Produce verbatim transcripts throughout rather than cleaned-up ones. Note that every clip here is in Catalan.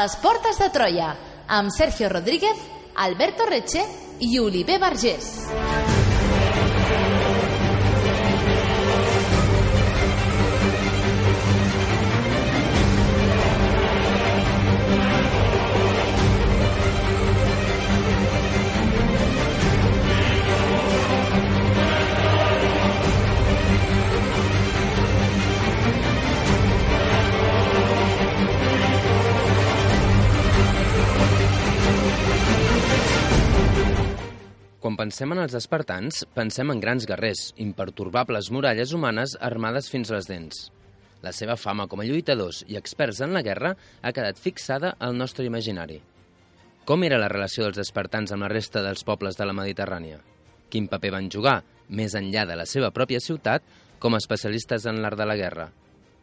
les portes de Troia, amb Sergio Rodríguez, Alberto Reche i Oliver Vergés. Quan pensem en els espartans, pensem en grans guerrers, impertorbables muralles humanes armades fins a les dents. La seva fama com a lluitadors i experts en la guerra ha quedat fixada al nostre imaginari. Com era la relació dels espartans amb la resta dels pobles de la Mediterrània? Quin paper van jugar, més enllà de la seva pròpia ciutat, com a especialistes en l'art de la guerra?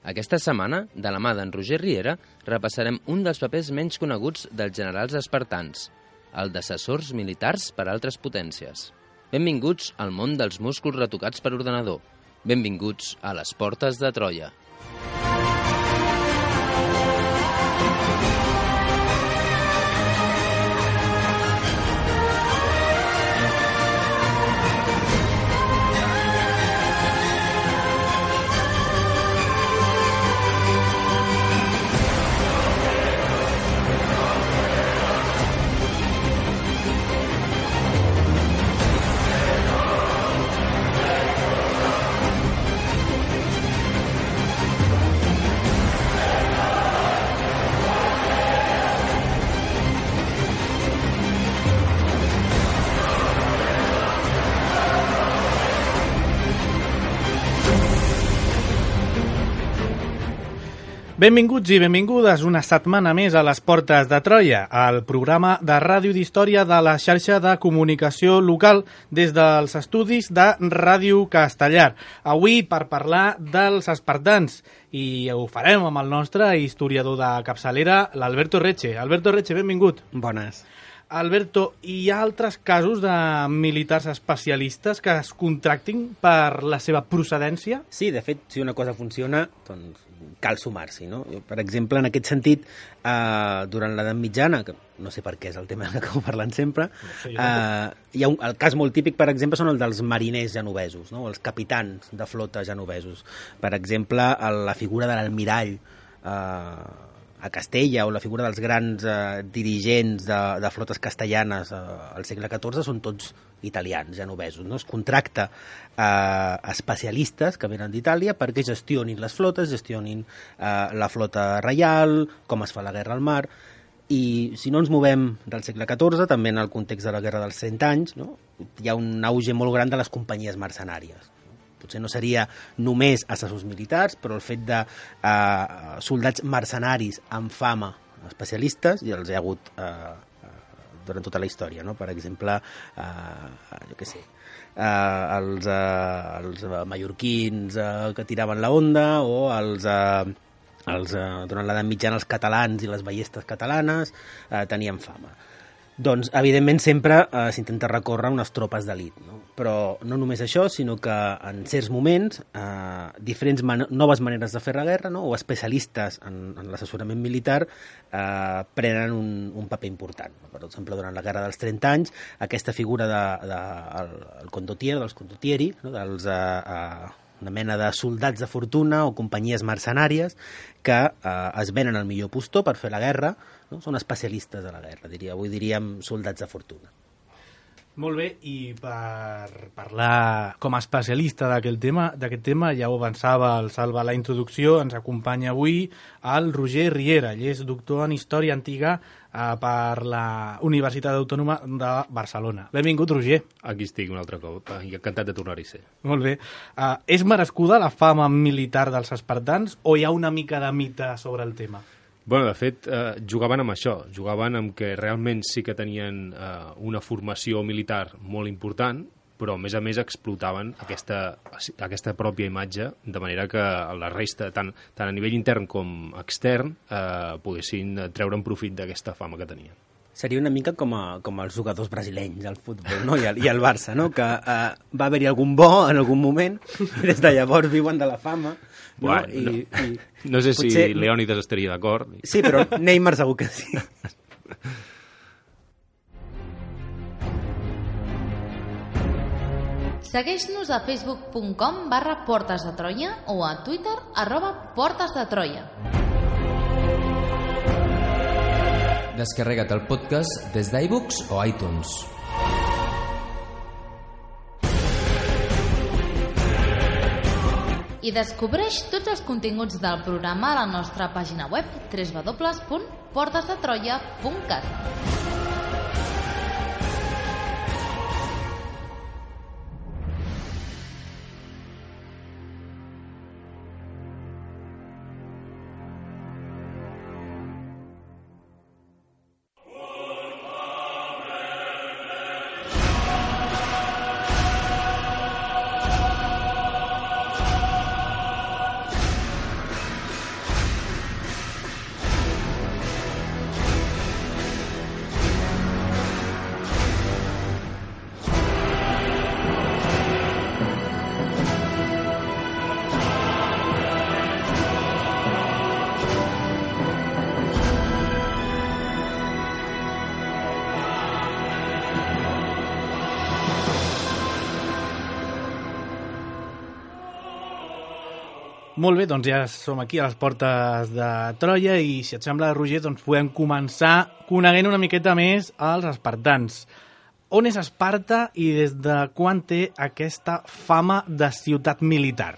Aquesta setmana, de la mà d'en Roger Riera, repassarem un dels papers menys coneguts dels generals espartans, el d'assessors militars per a altres potències. Benvinguts al món dels músculs retocats per ordenador. Benvinguts a les portes de Troia. Benvinguts i benvingudes una setmana més a les Portes de Troia, el programa de ràdio d'història de la xarxa de comunicació local des dels estudis de Ràdio Castellar. Avui per parlar dels espartans i ho farem amb el nostre historiador de capçalera, l'Alberto Reche. Alberto Reche, benvingut. Bones. Alberto, hi ha altres casos de militars especialistes que es contractin per la seva procedència? Sí, de fet, si una cosa funciona, doncs cal sumar-s'hi, no? Per exemple, en aquest sentit, eh, durant l'edat mitjana, que no sé per què és el tema que acabo parlant sempre, no sé, eh, hi ha un, el cas molt típic, per exemple, són el dels mariners genovesos, no? Els capitans de flota genovesos. Per exemple, la figura de l'almirall eh, a Castella o la figura dels grans eh, dirigents de, de flotes castellanes eh, al segle catorze són tots italians, genovesos, no? Es contracta eh, especialistes que venen d'Itàlia perquè gestionin les flotes, gestionin eh, la flota reial, com es fa la guerra al mar, i si no ens movem del segle catorze, també en el context de la guerra dels cent anys, no? Hi ha un auge molt gran de les companyies mercenàries. Potser no seria només assessors militars, però el fet de eh, soldats mercenaris amb fama especialistes, i els hi ha hagut eh, durant tota la història, no? Per exemple, eh, jo què sé, eh, els, eh, els mallorquins eh, que tiraven la onda, o els, eh, els, eh, durant l'edat mitjana els catalans i les ballestes catalanes eh, tenien fama. Doncs, evidentment, sempre eh, s'intenta recórrer unes tropes d'elit, no? Però no només això, sinó que en certs moments eh, diferents man noves maneres de fer la guerra, no? O especialistes en, en l'assessorament militar eh, prenen un, un paper important. Per exemple, durant la guerra dels trenta anys, aquesta figura de, de, el, el condottiero, dels condottieri, no? Dels... Eh, eh, una mena de soldats de fortuna o companyies mercenàries que eh, es venen al millor postor per fer la guerra, no? Són especialistes de la guerra, diria. Avui diríem soldats de fortuna. Molt bé, i per parlar com a especialista d'aquest tema, d'aquest tema, ja ho avançava el Salva a la introducció, ens acompanya avui el Roger Riera. Ell és doctor en Història Antiga eh, per la Universitat Autònoma de Barcelona. Benvingut, Roger. Aquí estic un altre cop, i encantat de tornar-hi a ser. Molt bé. Uh, és merescuda la fama militar dels espartans o hi ha una mica de mite sobre el tema? Bueno, de fet, eh, jugaven amb això, jugaven amb que realment sí que tenien eh, una formació militar molt important, però a més a més explotaven aquesta, aquesta pròpia imatge, de manera que la resta, tant, tant a nivell intern com extern, eh, poguessin treure'n profit d'aquesta fama que tenien. Seria una mica com, a, com els jugadors brasilenys al futbol, no? I el, i el Barça, no? Que uh, va haver-hi algun bo en algun moment, i des de llavors viuen de la fama. No, bueno, I, no. i no sé potser... si Leònidas estaria d'acord. Sí, però Neymar segur que sí. Segueix-nos a facebook punt com barra Portes de Troia o a Twitter arroba Portes de Troia. Descarrega't el podcast des d'iBooks o iTunes. I descobreix tots els continguts del programa a la nostra pàgina web w w w punt portes de troia punt cat. Molt bé, doncs ja som aquí a les portes de Troia i, si et sembla, Roger, doncs podem començar coneguent una miqueta més els espartans. On és Esparta i des de quan té aquesta fama de ciutat militar?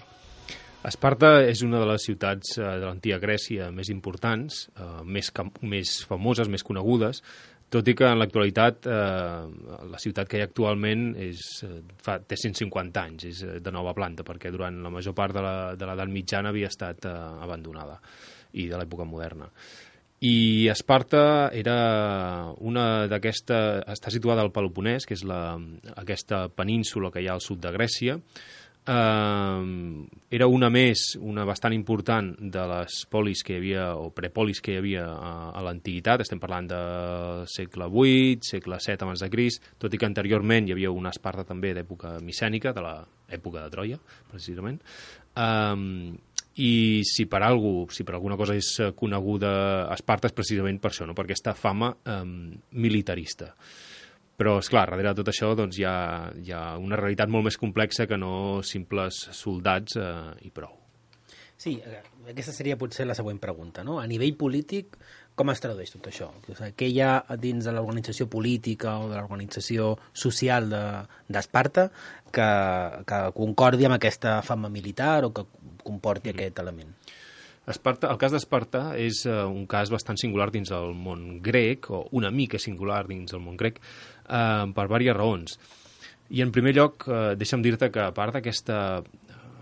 Esparta és una de les ciutats de l'antiga Grècia més importants, eh, més, més famoses, més conegudes, tot i que en l'actualitat eh, la ciutat que hi ha actualment és, fa, té cent cinquanta anys, és de nova planta, perquè durant la major part de l'edat mitjana havia estat eh, abandonada, i de l'època moderna. I Esparta era una d'aquesta... està situada al Peloponès, que és la, aquesta península que hi ha al sud de Grècia. Uh, era una més, una bastant important de les polis que hi havia, o prepolis que hi havia a, a l'antiguitat. Estem parlant del segle vuit, segle set abans de Crist, tot i que anteriorment hi havia una Esparta també d'època micènica, de l'època de Troia, precisament. Um, I si per algú, si per alguna cosa és coneguda Esparta és precisament per això, no? Per aquesta fama um, militarista. Però, esclar, darrere de tot això doncs, hi, ha, hi ha una realitat molt més complexa que no simples soldats eh, i prou. Sí, aquesta seria potser la següent pregunta, no? A nivell polític, com es tradueix tot això? O sigui, què hi ha dins de l'organització política o de l'organització social d'Esparta de, que, que concordi amb aquesta fama militar o que comporti mm. aquest element? Esparta, el cas d'Esparta és uh, un cas bastant singular dins el món grec, o una mica singular dins el món grec, uh, per diverses raons. I en primer lloc, uh, deixa'm dir-te que a part d'aquesta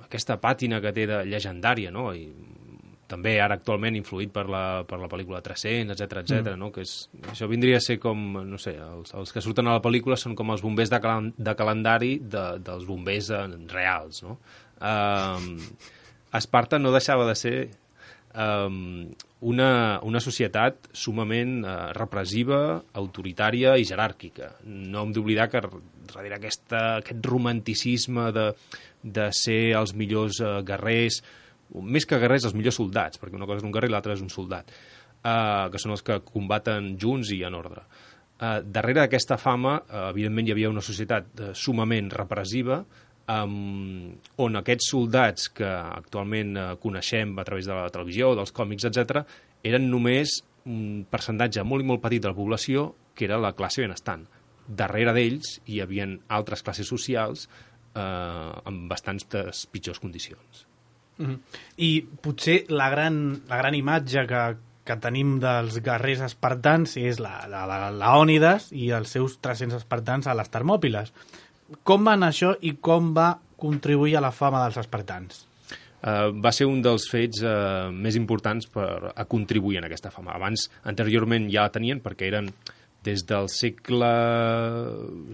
aquesta pàtina que té de llegendària, no? I també ara actualment influït per la, per la pel·lícula tres-cents, etcètera, etcètera, mm. no? Que és, això vindria a ser com, no sé, els, els que surten a la pel·lícula són com els bombers de, cal de calendari de, dels bombers reals, no? Uh, Esparta no deixava de ser Um, una, una societat sumament uh, repressiva, autoritària i jeràrquica. No hem d'oblidar que darrere aquesta, aquest romanticisme de, de ser els millors uh, guerrers, més que guerrers, els millors soldats, perquè una cosa és un guerrer i l'altra és un soldat, uh, que són els que combaten junts i en ordre. Uh, darrere d'aquesta fama, uh, evidentment, hi havia una societat uh, sumament repressiva, Um, on aquests soldats que actualment uh, coneixem a través de la televisió, dels còmics, etcètera, eren només un percentatge molt i molt petit de la població que era la classe benestant. Darrere d'ells hi havia altres classes socials eh, amb bastants pitjors condicions. Mm-hmm. I potser la gran, la gran imatge que, que tenim dels guerrers espartans és la de Leònidas i els seus tres-cents espartans a les Termòpiles. Com va anar això i com va contribuir a la fama dels espartans? Uh, va ser un dels fets uh, més importants per a contribuir en aquesta fama. Abans, anteriorment, ja la tenien perquè eren des del segle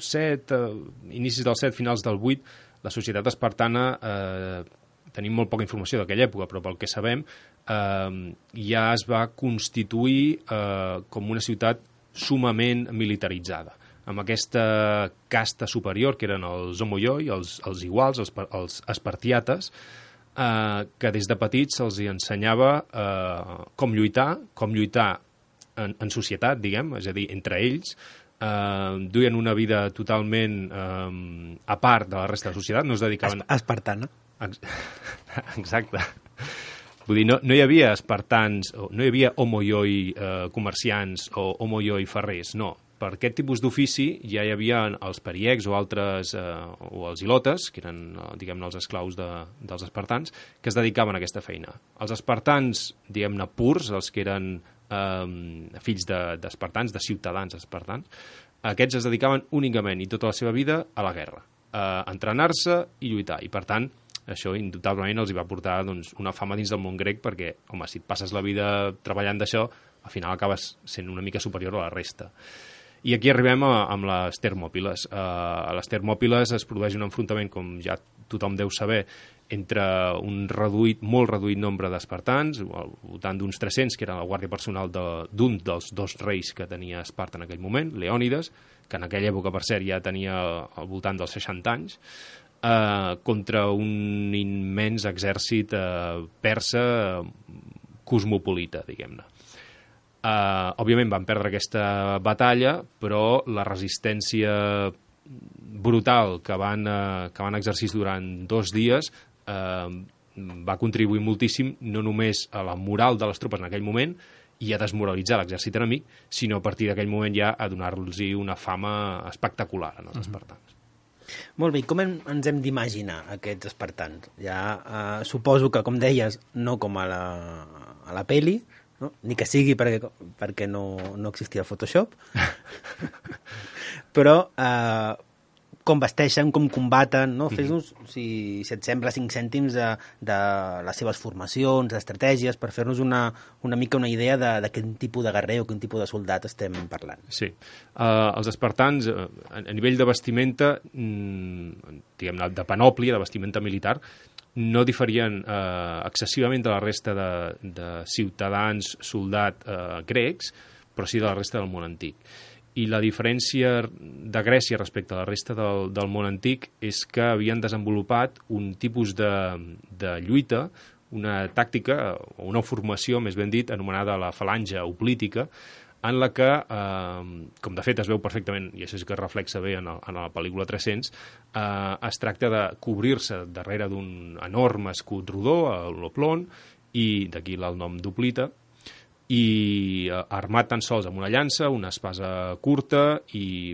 set, uh, inicis del set, finals del vuit, la societat espartana, uh, tenim molt poca informació d'aquella època, però pel que sabem, uh, ja es va constituir uh, com una ciutat sumament militaritzada, amb aquesta casta superior que eren els homoioi, els, els iguals, els, els espartiates, eh, que des de petits se'ls ensenyava eh, com lluitar, com lluitar en, en societat, diguem, és a dir, entre ells, eh, duien una vida totalment eh, a part de la resta de la societat, no es dedicaven... Espartana. Exacte. Vull dir, no, no hi havia espartans, no hi havia homoioi eh, comerciants o homoioi ferrers, no. Per aquest tipus d'ofici ja hi havia els periecs o altres, eh, o els ilotes, que eren, diguem-ne, els esclaus de, dels espartans, que es dedicaven a aquesta feina. Els espartans, diguem-ne, purs, els que eren eh, fills d'espartans, de, de ciutadans espartans, aquests es dedicaven únicament i tota la seva vida a la guerra, a entrenar-se i lluitar. I, per tant, això indubtablement els hi va portar doncs, una fama dins del món grec perquè, home, si et passes la vida treballant d'això, al final acabes sent una mica superior a la resta. I aquí arribem a, amb les Termòpiles. Uh, a les Termòpiles es produeix un enfrontament, com ja tothom deu saber, entre un reduït, molt reduït nombre d'espartans, al voltant d'uns tres-cents, que era la guàrdia personal d'un de, dels dos reis que tenia Esparta en aquell moment, Leònides, que en aquella època, per cert, ja tenia al voltant dels seixanta anys, Uh, contra un immens exèrcit uh, persa uh, cosmopolita, diguem-ne. Uh, òbviament van perdre aquesta batalla, però la resistència brutal que van, uh, que van exercir durant dos dies uh, va contribuir moltíssim no només a la moral de les tropes en aquell moment i a desmoralitzar l'exèrcit enemic, sinó a partir d'aquell moment ja a donar-los una fama espectacular en els espartans. Molt bé, com hem, ens hem d'imaginar aquests espartans? Ja eh, suposo que, com deies, no com a la, a la peli, no? Ni que sigui perquè, perquè no, no existia Photoshop, però eh, com vesteixen, com combaten, no? Fes-nos, si, si et sembla, cinc cèntims de, de les seves formacions, d'estratègies, per fer-nos una, una mica una idea de, de quin tipus de guerrer o quin tipus de soldat estem parlant. Sí. Uh, els espartans, uh, a, a nivell de vestimenta, mm, diguem-ne, de panòplia, de vestimenta militar, no diferien uh, excessivament de la resta de, de ciutadans, soldat uh, grecs, però sí de la resta del món antic. I la diferència de Grècia respecte a la resta del, del món antic és que havien desenvolupat un tipus de, de lluita, una tàctica, o una formació, més ben dit, anomenada la falange oplítica, en la que, eh, com de fet es veu perfectament, i això és que es reflexa bé en, el, en la pel·lícula tres-cents, eh, es tracta de cobrir-se darrere d'un enorme escut rodó, l'oplon, i d'aquí el nom d'oplita, i armat tan sols amb una llança, una espasa curta i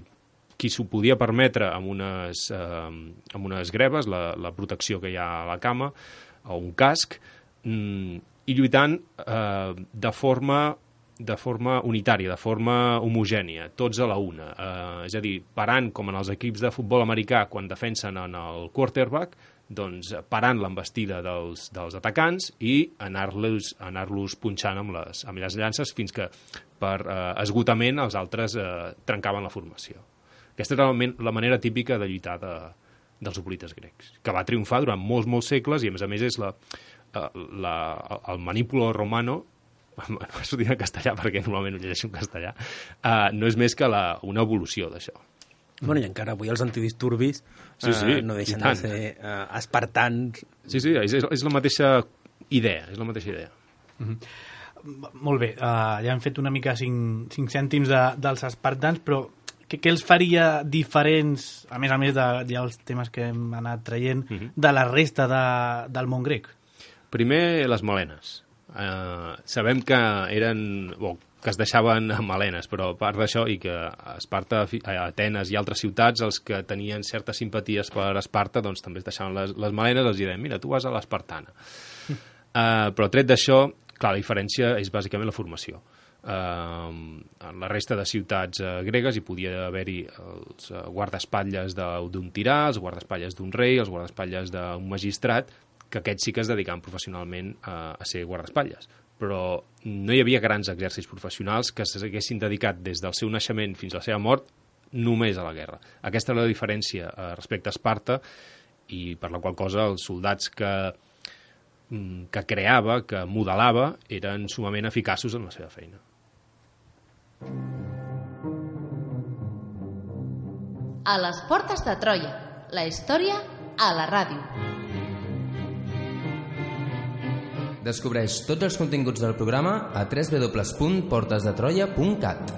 qui s'ho podia permetre amb unes, eh, amb unes greves, la, la protecció que hi ha a la cama, o un casc, mm, i lluitant eh, de forma de forma unitària, de forma homogènia, tots a la una. Eh, és a dir, parant com en els equips de futbol americà quan defensen en el quarterback, doncs parant l'embestida dels, dels atacants i anar-los anar-los punxant amb les, amb les llances fins que per eh, esgotament els altres eh, trencaven la formació. Aquesta era la, la manera típica de lluitar de, dels hoplites grecs, que va triomfar durant molts, molts segles i a més a més és la, la, el manipulo romano, no s'ho dic en castellà perquè normalment ho llegeixo en castellà, eh, no és més que la, una evolució d'això. Bueno, i encara avui els antidisturbis sí, sí, uh, no deixen de ser uh, espartans. Sí, sí, és, és la mateixa idea, és la mateixa idea. Mm-hmm. Molt bé, uh, ja hem fet una mica cinc, cinc cèntims de, dels espartans, però què, què els faria diferents, a més a més de ja els temes que hem anat traient, mm-hmm. de la resta de, del món grec? Primer, les melenes. Uh, sabem que eren... Bon, que es deixaven melenes, però a part d'això, i que a Esparta, a Atenes i altres ciutats, els que tenien certes simpaties per Esparta, doncs també es deixaven les, les melenes, els deien, mira, tu vas a l'Espartana. uh, però tret d'això, clar, la diferència és bàsicament la formació. Uh, en la resta de ciutats uh, gregues hi podia haver-hi els uh, guardaespatlles d'un tirà, els guardaespatlles d'un rei, els guardaespatlles d'un magistrat, que aquests sí que es dedicaven professionalment uh, a ser guardaespatlles. Però no hi havia grans exèrcits professionals que s'haguessin dedicat des del seu naixement fins a la seva mort només a la guerra. Aquesta era la diferència eh, respecte a Esparta i per la qual cosa els soldats que, que creava, que modelava, eren sumament eficaços en la seva feina. a les portes de Troia, la història a la ràdio. Descobreix tots els continguts del programa a w w w punt portes de troia punt cat.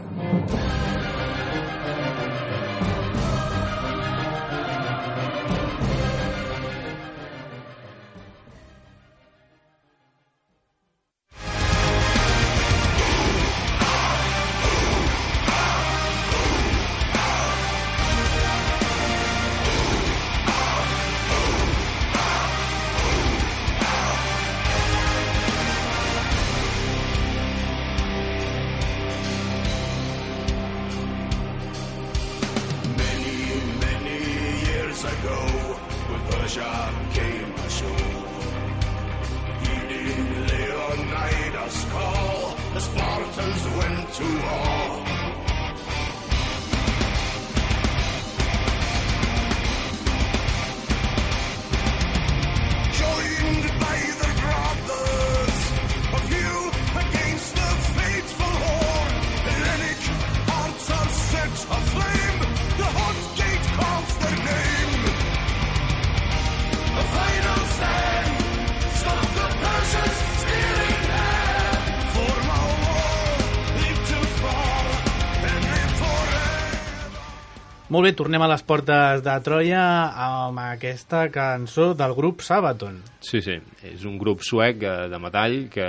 Molt bé, tornem a les portes de Troia amb aquesta cançó del grup Sabaton. Sí, sí, és un grup suec de metall que,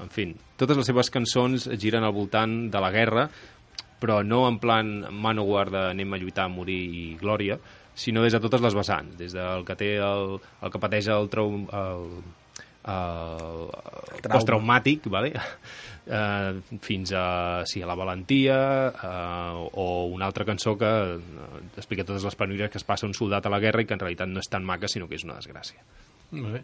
en fi, totes les seves cançons giren al voltant de la guerra, però no en plan Manowar de anem a lluitar, a morir i glòria, sinó des de totes les vessants, des del que té el, el que pateix el, trau, el, el, el posttraumàtic, vale? Uh, fins a, sí, a la valentia, uh, o una altra cançó que uh, explica totes les penúries que es passa un soldat a la guerra i que en realitat no és tan maca, sinó que és una desgràcia. Molt bé.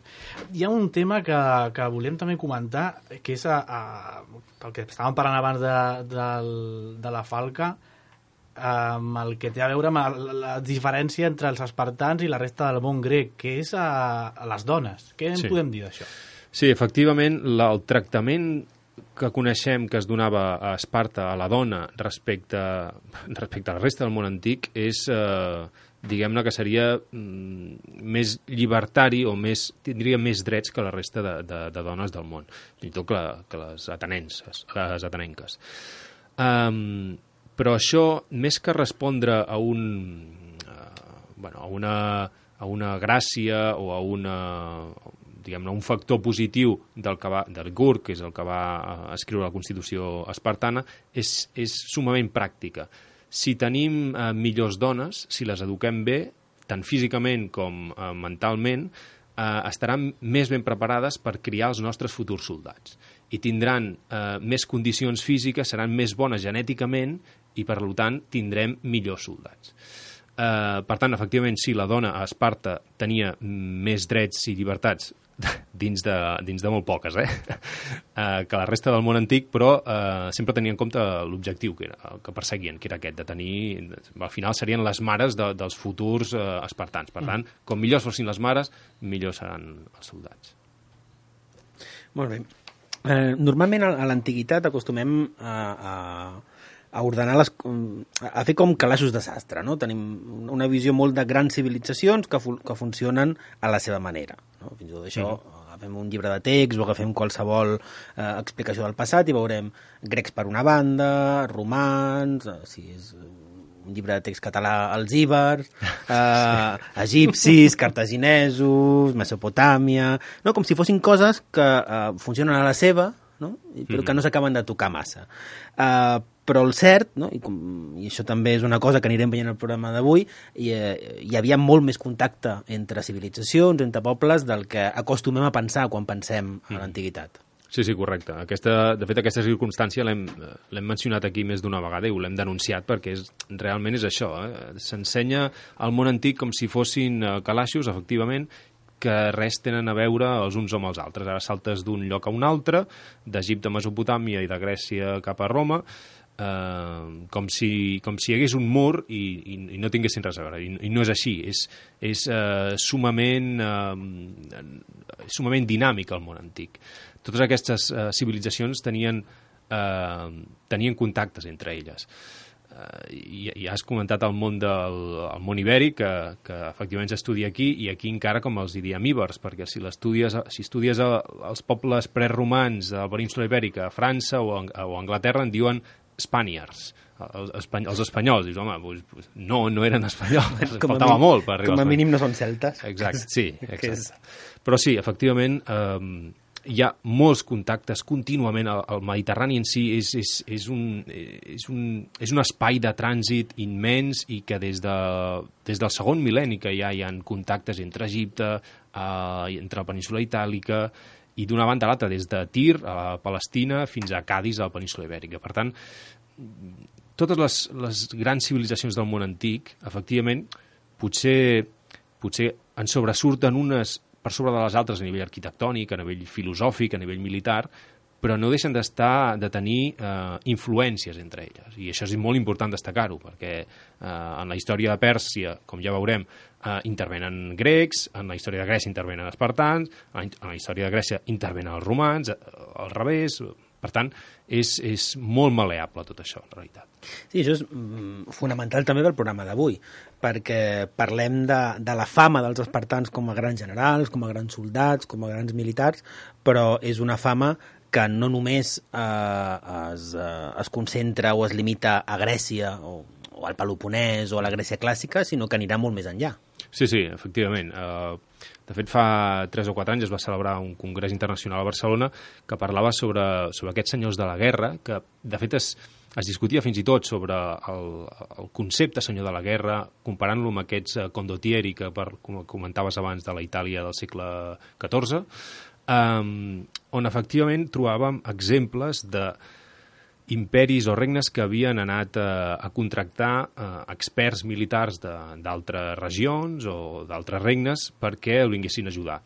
Hi ha un tema que, que volem també comentar, que és a, a, el que estàvem parlant abans de, de, de la falca, amb el que té a veure amb la, la diferència entre els espartans i la resta del món grec, que és a, a les dones. Què en sí. podem dir d'això? Sí, efectivament, la, el tractament que coneixem que es donava a Esparta a la dona respecte, respecte a la resta del món antic és, eh, diguem-ne, que seria mm, més llibertari o més, tindria més drets que la resta de, de, de dones del món, fins i tot que, que les atenenses, les atenenques. Um, però això, més que respondre a un, uh, bueno, a una, a una gràcia o a una... diguem-ne, un factor positiu del, que va, del Gurk, que és el que va escriure la Constitució espartana, és, és sumament pràctica. Si tenim eh, millors dones, si les eduquem bé, tant físicament com eh, mentalment, eh, estaran més ben preparades per criar els nostres futurs soldats. I tindran eh, més condicions físiques, seran més bones genèticament i, per tant, tindrem millors soldats. Uh, per tant, efectivament, sí, la dona a Esparta tenia més drets i llibertats dins de, dins de molt poques, eh? uh, que la resta del món antic, però uh, sempre tenia en compte l'objectiu que, era, que perseguien, que era aquest, de tenir... Al final serien les mares de, dels futurs uh, espartans. Per tant, com millors fossin les mares, millors seran els soldats. Molt bé. Eh, normalment a l'antiguitat acostumem a... a... a ordenar les, a fer com calaixos de sastre, no? Tenim una visió molt de grans civilitzacions que, fu que funcionen a la seva manera, no? Fins i tot això, mm. agafem un llibre de text o agafem qualsevol eh, explicació del passat i veurem grecs per una banda, romans, eh, si és un llibre de text català, els íbers, eh, egipcis, cartaginesos, Mesopotàmia, no? Com si fossin coses que eh, funcionen a la seva, no? Però que no s'acaben de tocar massa. Eh, però el cert, no? I, com, i això també és una cosa que anirem veient al programa d'avui, hi, eh, hi havia molt més contacte entre civilitzacions, entre pobles, del que acostumem a pensar quan pensem a l'antiguitat. Sí, sí, correcte. Aquesta, de fet, aquesta circumstància l'hem mencionat aquí més d'una vegada i ho l'hem denunciat perquè és, realment és això. Eh? S'ensenya al món antic com si fossin eh, calaixos, efectivament, que res tenen a veure els uns amb els altres. Ara saltes d'un lloc a un altre, d'Egipte a Mesopotàmia i de Grècia cap a Roma, eh, com, si, com si hi hagués un mur i, i, i no tinguessin res a veure. I, i no és així. És, és eh, sumament, eh, sumament dinàmic el món antic. Totes aquestes eh, civilitzacions tenien, eh, tenien contactes entre elles. i, i has comentat el món del el món ibèric, que, que efectivament s'estudia aquí, i aquí encara com els hi diem ibers, perquè si estudies, si estudies els pobles preromans de la península ibèrica a França o a, o a Anglaterra en diuen Spaniards, els, els espanyols. Dius, home, pues, pues, no, no eren espanyols, faltava mínim, molt per arribar com a mínim no són celtes. Exacte, sí, exacte. Però sí, efectivament, eh, hi ha molts contactes contínuament. El, el Mediterrani en si és, és, és, un, és, un, és un espai de trànsit immens, i que des, de, des del segon mil·lenni que ja hi ha contactes entre Egipte, eh, entre la península itàlica, i d'una banda a l'altra, des de Tir a Palestina fins a Cadis a la península ibèrica. Per tant, totes les, les grans civilitzacions del món antic, efectivament, potser, potser en sobresurten unes per sobre de les altres a nivell arquitectònic, a nivell filosòfic, a nivell militar, però no deixen d'estar, de tenir eh, influències entre elles. I això és molt important destacar-ho, perquè eh, en la història de Pèrsia, com ja veurem, eh, intervenen grecs, en la història de Grècia intervenen espartans, en la història de Grècia intervenen els romans, eh, al revés. Per tant, és, és molt maleable tot això, en realitat. Sí, això és mm, fonamental també pel programa d'avui, perquè parlem de, de la fama dels espartans com a grans generals, com a grans soldats, com a grans militars, però és una fama que no només eh, es, eh, es concentra o es limita a Grècia o, o al Peloponès o a la Grècia clàssica, sinó que anirà molt més enllà. Sí, sí, efectivament. Uh, de fet, fa tres o quatre anys es va celebrar un congrés internacional a Barcelona que parlava sobre, sobre aquests senyors de la guerra, que de fet es, es discutia fins i tot sobre el, el concepte senyor de la guerra, comparant-lo amb aquests uh, condottieri que per, com comentaves abans de la Itàlia del segle catorze, um, on efectivament trobàvem exemples de imperis o regnes que havien anat eh, a contractar eh, experts militars d'altres regions o d'altres regnes perquè el vinguessin a ajudar.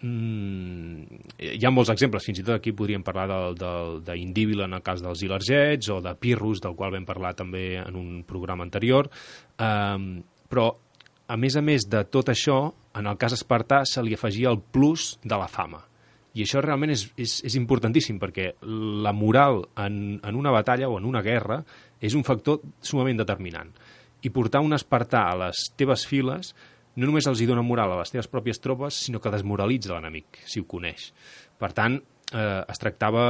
Mm, hi ha molts exemples, fins i tot aquí podríem parlar d'Indíbil en el cas dels ilergets, o de Pirrus, del qual vam parlar també en un programa anterior, um, però a més a més de tot això, en el cas espartà se li afegia el plus de la fama. I això realment és, és, és importantíssim, perquè la moral en, en una batalla o en una guerra és un factor sumament determinant. I portar un espartà a les teves files no només els hi dona moral a les teves pròpies tropes, sinó que desmoralitza l'enemic, si ho coneix. Per tant, eh, es tractava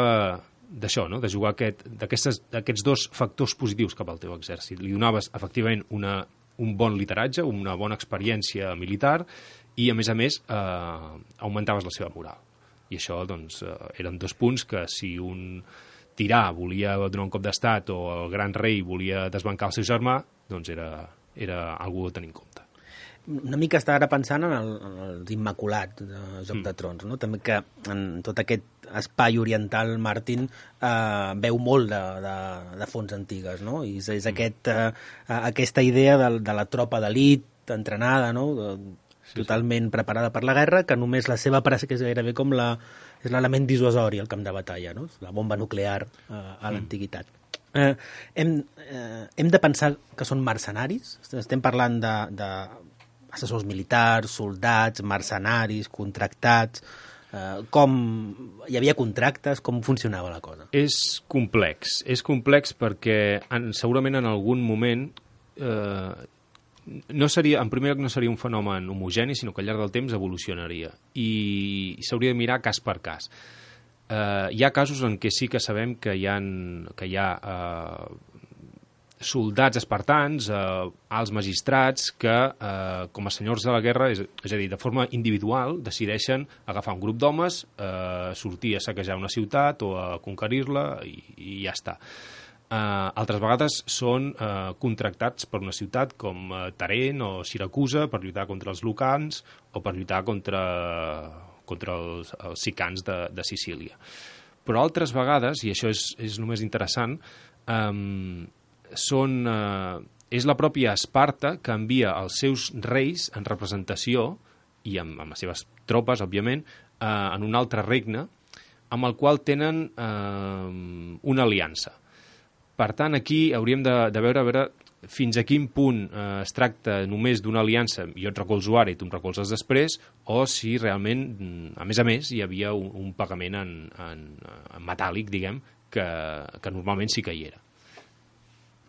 d'això, no? De jugar aquest, d'aquests dos factors positius cap al teu exèrcit. Li donaves, efectivament, una, un bon lideratge, una bona experiència militar, i, a més a més, eh, augmentaves la seva moral. I això, doncs, eren dos punts que si un tirà volia donar un cop d'estat o el gran rei volia desbancar el seu germà, doncs era, era algú a tenir en compte. Una mica estava ara pensant en, el, en els Immaculats de Joc mm. de Trons, no? També que en tot aquest espai oriental Martin eh, veu molt de, de, de fonts antigues, no? I és, és mm. aquest, eh, aquesta idea de, de la tropa d'elit entrenada, no? De, Sí, totalment sí. preparada per la guerra, que només la seva pressa, que és gairebé com la, és l'element dissuasori al camp de batalla, no? La bomba nuclear eh, a l'antiguitat. Mm. Eh, hem, eh, hem de pensar que són mercenaris? Estem parlant de, de assessors militars, soldats, mercenaris, contractats. Eh, com hi havia contractes? Com funcionava la cosa? És complex. És complex perquè en, segurament en algun moment eh, no seria, en primer lloc no seria un fenomen homogeni, sinó que al llarg del temps evolucionaria i s'hauria de mirar cas per cas. Eh, hi ha casos en què sí que sabem que hi ha, que hi ha eh, soldats espartans, eh, alts magistrats, que eh, com a senyors de la guerra, és, és a dir, de forma individual, decideixen agafar un grup d'homes, eh, sortir a saquejar una ciutat o a conquerir-la i, i ja està. Uh, altres vegades són uh, contractats per una ciutat com uh, Tarent o Siracusa per lluitar contra els lucans o per lluitar contra, contra els, els sicans de, de Sicília. Però altres vegades, i això és, és només interessant, um, són, uh, és la pròpia Esparta que envia els seus reis en representació, i amb, amb les seves tropes, òbviament, uh, en un altre regne, amb el qual tenen uh, una aliança. Per tant, aquí hauríem de, de veure, a veure fins a quin punt eh, es tracta només d'una aliança, jo et recolzo ara i tu em recolzes després, o si realment, a més a més, hi havia un, un pagament en, en, en metàl·lic, diguem, que, que normalment sí que hi era.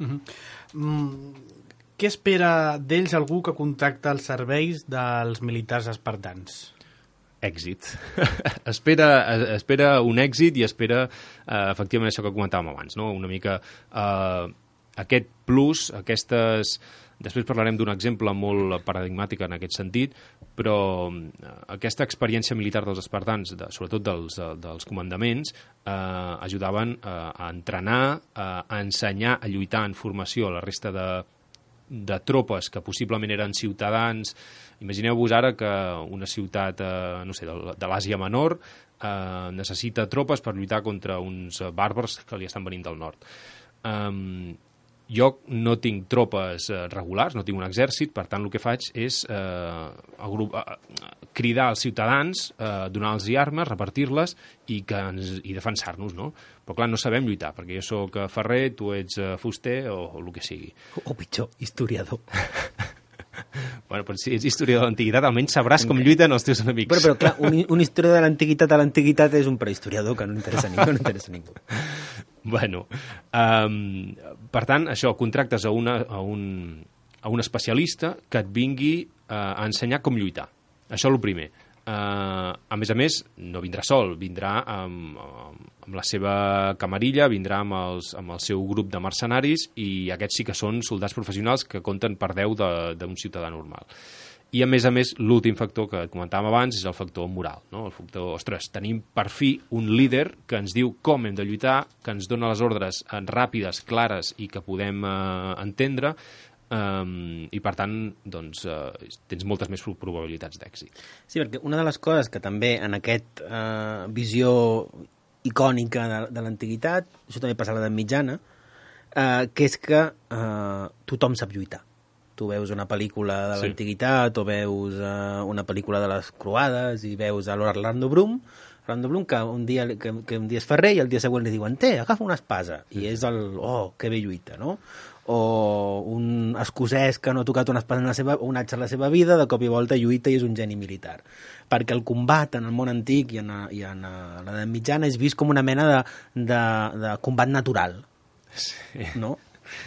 Uh-huh. Mm, què espera d'ells algú que contacta els serveis dels militars espartans? Èxit. espera, espera un èxit i espera eh, efectivament això que comentàvem abans, no? Una mica eh, aquest plus, aquestes... Després parlarem d'un exemple molt paradigmàtic en aquest sentit, però eh, aquesta experiència militar dels espartans, de, sobretot dels, dels comandaments, eh, ajudaven eh, a entrenar, eh, a ensenyar, a lluitar en formació a la resta de, de tropes que possiblement eren ciutadans. Imagineu-vos ara que una ciutat eh, no sé, de, de l'Àsia Menor eh, necessita tropes per lluitar contra uns bàrbars que li estan venint del nord. Um, jo no tinc tropes eh, regulars, no tinc un exèrcit, per tant el que faig és eh, agrup, eh, cridar als ciutadans, eh, donar-los armes, repartir-les i, que ens, i defensar-nos, no? Però clar, no sabem lluitar, perquè jo sóc ferrer, tu ets eh, fuster o, o el que sigui. O pitjor, historiador. Bueno, però si ets historiador de l'antiguitat, almenys sabràs com lluiten els teus enemics. Però, però clar, un, un historiador de l'antiguitat a l'antiguitat és un prehistoriador que no interessa a ningú. No interessa a ningú. Bueno, um, per tant, això, contractes a, una, a, un, a un especialista que et vingui uh, a ensenyar com lluitar. Això és el primer. Uh, a més a més, no vindrà sol, vindrà amb, amb la seva camarilla, vindrà amb, els, amb el seu grup de mercenaris i aquests sí que són soldats professionals que compten per deu d'un ciutadà normal. I a més a més, l'últim factor que comentàvem abans és el factor moral, no? El factor, ostres, tenim per fi un líder que ens diu com hem de lluitar, que ens dona les ordres ràpides, clares i que podem eh, entendre, Um, i per tant doncs, uh, tens moltes més probabilitats d'èxit. Sí, perquè una de les coses que també en aquesta uh, visió icònica de, de l'antiguitat, això també passa a l'edat mitjana, uh, que és que uh, tothom sap lluitar. Tu veus una pel·lícula de l'antiguitat sí. o veus uh, una pel·lícula de les croades i veus a l'Orlando Bloom, Orlando Bloom que un dia, que, que un dia és ferrer i el dia següent li diuen, té, agafa una espasa, i és el, oh, que bé lluita, no? O un escocès que no ha tocat una espada en la seva, un atx en la seva vida, de cop i volta lluita i és un geni militar. Perquè el combat en el món antic i en, i en l'edat mitjana és vist com una mena de, de, de combat natural. Sí. No?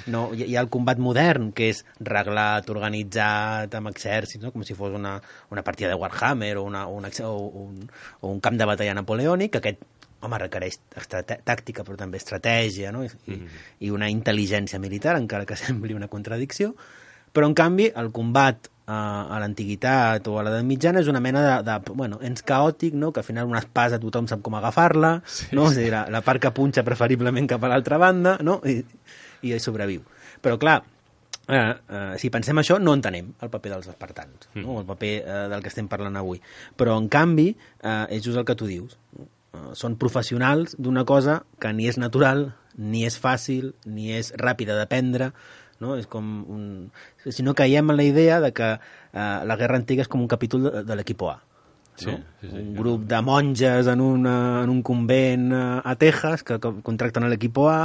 No, hi ha el combat modern, que és reglat, organitzat, amb exèrcits, no? Com si fos una, una partida de Warhammer o, una, una, o, un, o un camp de batalla napoleònic, que aquest home, requereix tàctica, però també estratègia, no? I, mm-hmm. i una intel·ligència militar, encara que sembli una contradicció. Però, en canvi, el combat eh, a l'antiguitat o a l'edat mitjana és una mena de, de bueno, ens caòtic, no? Que al final una espasa tothom sap com agafar-la, sí, no? Sí. És a dir, la, la part que punxa preferiblement cap a l'altra banda, no? I, i sobreviu. Però, clar, eh, eh, si pensem això, no entenem el paper dels espartans, mm. no? El paper eh, del que estem parlant avui. Però, en canvi, eh, és just el que tu dius, no? Uh, són professionals d'una cosa que ni és natural, ni és fàcil, ni és ràpida d'aprendre, no? És com un... Si no caiem en la idea de que uh, la guerra antiga és com un capítol de, de l'equip A. Sí, no? sí, sí, un grup de monges en, una, en un convent a Texas que contracten l'equip A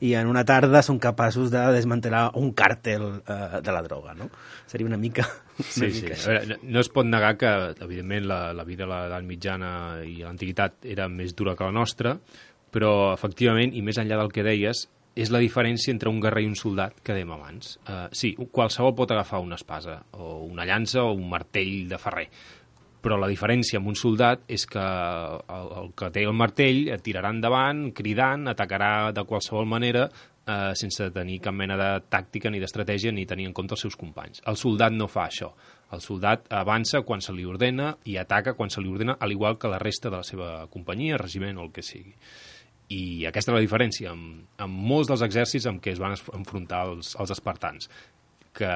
i en una tarda són capaços de desmantelar un càrtel uh, de la droga, no? Seria una mica... Una sí, mica sí. A veure, no es pot negar que, evidentment, la, la vida a l'edat mitjana i a l'antiguitat era més dura que la nostra, però, efectivament, i més enllà del que deies, és la diferència entre un guerrer i un soldat que dèiem abans. Uh, sí, qualsevol pot agafar una espasa, o una llança, o un martell de ferrer, però la diferència amb un soldat és que el, el que té el martell tirarà endavant, cridant, atacarà de qualsevol manera, eh, sense tenir cap mena de tàctica ni d'estratègia ni tenir en compte els seus companys. El soldat no fa això. El soldat avança quan se li ordena i ataca quan se li ordena, al igual que la resta de la seva companyia, regiment o el que sigui. I aquesta és la diferència amb, amb molts dels exèrcits amb què es van enfrontar els, els espartans, que,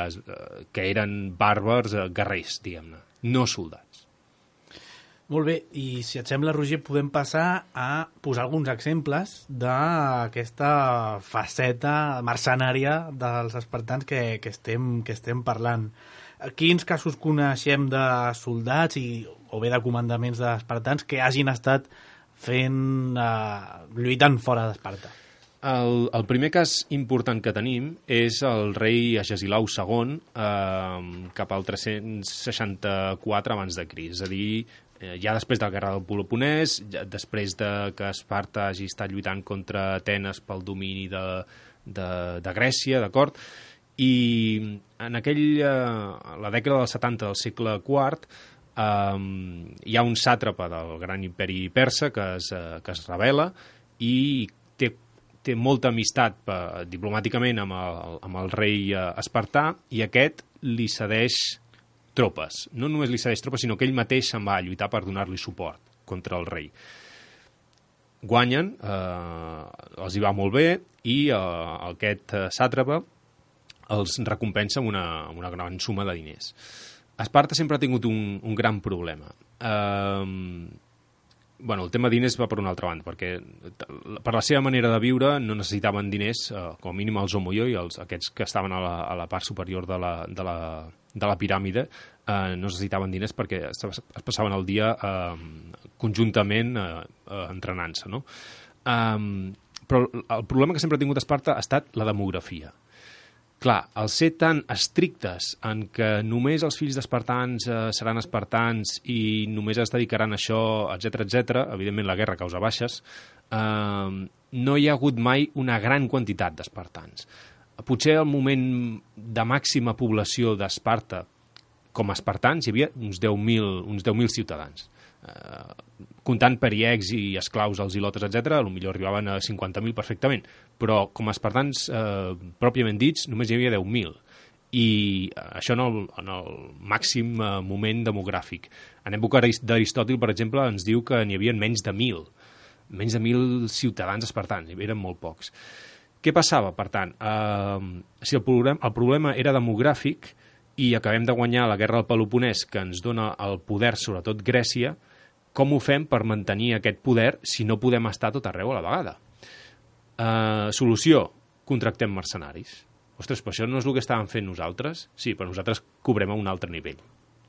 que eren bàrbars guerrers, diguem-ne, no soldats. Molt bé, i si et sembla, Roger, podem passar a posar alguns exemples d'aquesta faceta mercenària dels espartans que, que, estem, que estem parlant. Quins casos coneixem de soldats i, o bé de comandaments d'espartans que hagin estat fent, eh, lluitant fora d'Esparta? El, el primer cas important que tenim és el rei Agesilau segon eh, cap al tres-cents seixanta-quatre abans de Crist, és a dir, ja després de la guerra del Peloponès, ja després de que Esparta hagi estat lluitant contra Atenes pel domini de, de, de Grècia, d'acord? I en aquell, eh, la dècada dels setanta del segle quart eh, hi ha un sàtrapa del gran imperi persa que es, eh, que es rebel·la i té, té molta amistat eh, diplomàticament amb el, amb el rei eh, espartà, i aquest li cedeix tropes. No només li cedeix tropes, sinó que ell mateix se'n va a lluitar per donar-li suport contra el rei. Guanyen, eh, els hi va molt bé, i eh, aquest eh, sàtrapa els recompensa amb una, amb una gran suma de diners. Esparta sempre ha tingut un, un gran problema. Eh, bueno, el tema de diners va per una altra banda, perquè per la seva manera de viure no necessitaven diners, eh, com a mínim els homoioi, els, aquests que estaven a la, a la part superior de la, de la, de la piràmide, eh, no necessitaven diners perquè es, es passaven el dia eh, conjuntament eh, eh, entrenant-se, no? Eh, però el problema que sempre ha tingut Esparta ha estat la demografia. Clar, al ser tan estrictes en que només els fills d'espartans eh, seran espartans i només es dedicaran a això, etcètera, etcètera, evidentment la guerra causa baixes, eh, no hi ha hagut mai una gran quantitat d'espartans. Potser al moment de màxima població d'Esparta com a espartans hi havia uns deu mil uns deu mil ciutadans. Eh, comptant periecs i esclaus als ilotes, etcètera, potser arribaven a cinquanta mil perfectament, però com a espartans eh, pròpiament dits només hi havia deu mil, i això en el, en el màxim eh, moment demogràfic. En època d'Aristòtil, per exemple, ens diu que n'hi havia menys de mil, menys de mil ciutadans espartans, eren molt pocs. Què passava, per tant? Eh, si el problema, el problema era demogràfic i acabem de guanyar la guerra del Peloponès, que ens dona el poder, sobretot Grècia, com ho fem per mantenir aquest poder si no podem estar tot arreu a la vegada? Uh, solució, contractem mercenaris. Ostres, però això no és el que estàvem fent nosaltres? Sí, però nosaltres cobrem a un altre nivell.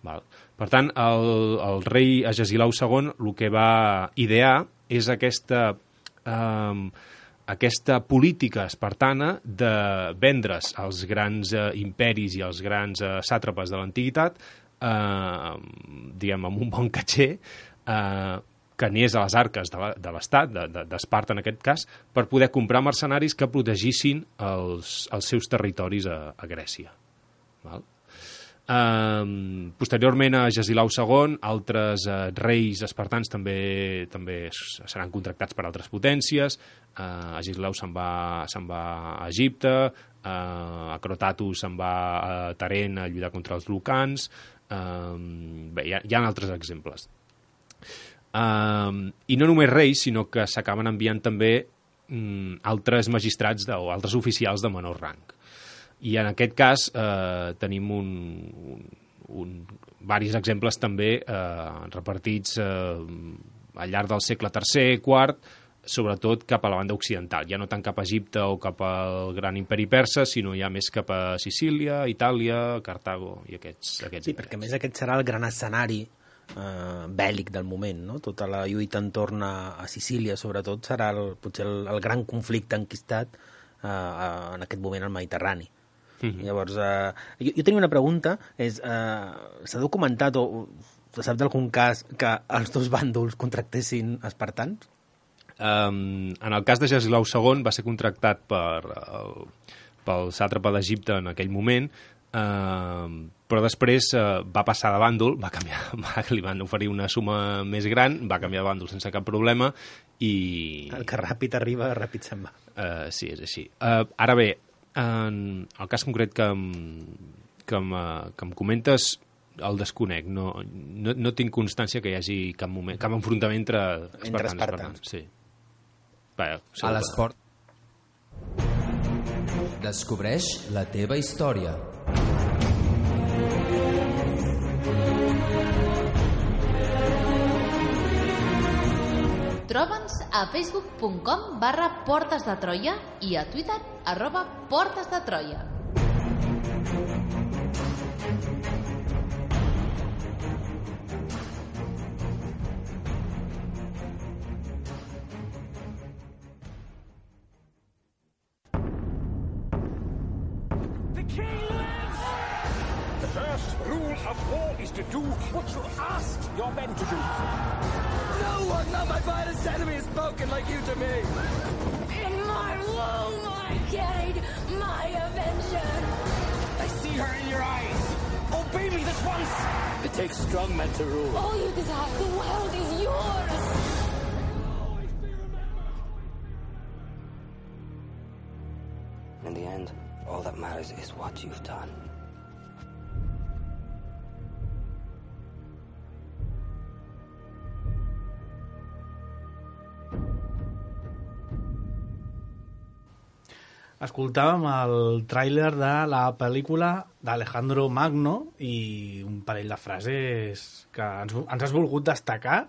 Val? Per tant, el, el rei Agesilau segon el que va idear és aquesta, uh, aquesta política espartana de vendre's als grans uh, imperis i als grans uh, sàtrapes de l'antiguitat, uh, diguem, amb un bon catxer, Uh, que anés a les arques de l'Estat, d'Esparta en aquest cas, per poder comprar mercenaris que protegissin els, els seus territoris a, a Grècia. Val? Uh, posteriorment a Agesilau segon, altres uh, reis espartans també, també seran contractats per altres potències. uh, Agesilau se'n va, se'n va a Egipte, uh, Acrotatus se'n va a Taren a lluitar contra els lucans. Uh, bé, hi ha, hi ha altres exemples. Uh, I no només reis, sinó que s'acaben enviant també um, altres magistrats de, o altres oficials de menor rang. I en aquest cas uh, tenim un, un, un, varis exemples també uh, repartits uh, al llarg del segle tercer, quart, sobretot cap a la banda occidental, ja no tant cap a Egipte o cap al gran imperi persa, sinó ja més cap a Sicília, Itàlia, Cartago i aquests, aquests sí, perquè a més aquest serà el gran escenari Uh, bèl·lic del moment, no? Tota la lluita entorn a, a Sicília, sobretot, serà el, potser el, el gran conflicte enquistat uh, uh, en aquest moment al Mediterrani. Mm-hmm. Llavors, uh, jo, jo tenia una pregunta, és, uh, s'ha documentat o, o se sap d'algun cas que els dos bàndols contractessin espartans? Um, en el cas de Agesilau segon va ser contractat per, el, pel sàtrapa d'Egipte en aquell moment, Uh, però després uh, va passar de bàndol, va canviar, va, li van oferir una suma més gran, va canviar de bàndol sense cap problema i... El que ràpid arriba, ràpid se'n va. Uh, sí, és així. Uh, ara bé, en el cas concret que em, que em, que em comentes el desconec, no, no, no tinc constància que hi hagi cap, moment, cap enfrontament entre espartans. Entre espartans. Sí. Va, a l'esport. Descobreix la teva història. Troba'ns a facebook punt com barra Portes de Troia i a Twitter arroba Portes de Troia. Of war is to do what you ask your men to do. No one, not my finest enemy, has spoken like you to me. In my my womb I carried my avenger. I see her in your eyes. Obey me this once. It takes strong men to rule. All you desire, the world is yours. In the end, all that matters is what you've done. Escoltàvem el tràiler de la pel·lícula d'Alejandro Magno i un parell de frases que ens, ens has volgut destacar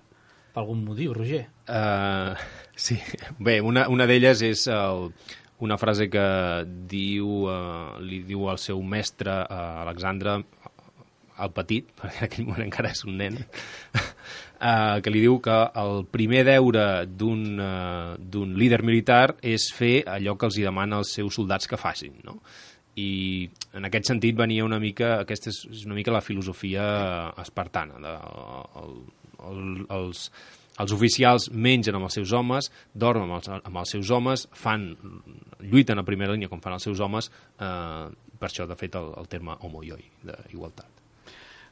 per algun motiu, Roger. Uh, sí, bé, una, una d'elles és el, una frase que diu, uh, li diu al seu mestre, uh, Alexandre, el petit, perquè en aquell moment encara és un nen, uh, que li diu que el primer deure d'un uh, d'un líder militar és fer allò que els hi demana als seus soldats que facin, no? I en aquest sentit venia una mica, aquesta és una mica la filosofia espartana. De, el, el, els, els oficials mengen amb els seus homes, dormen amb els, amb els seus homes, fan, lluiten a primera línia com fan els seus homes, eh, per això, de fet, el, el terme homoioi, d'igualtat.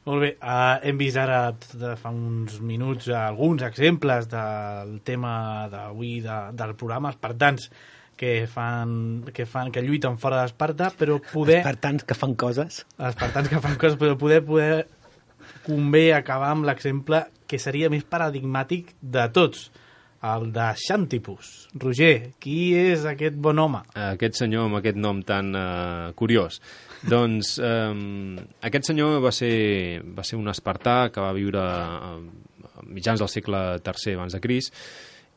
Molt bé, uh, hem vist ara de fa uns minuts alguns exemples del tema d'avui de, del programa, espartans que fan, que fan que lluiten fora d'Esparta, però poder... Espartans que fan coses. Espartans que fan coses, però poder, poder convé acabar amb l'exemple que seria més paradigmàtic de tots, el de Xantipus. Roger, qui és aquest bon home? Aquest senyor amb aquest nom tan uh, curiós. Doncs um, aquest senyor va ser, va ser un espartà que va viure a mitjans del segle tercer abans de Crist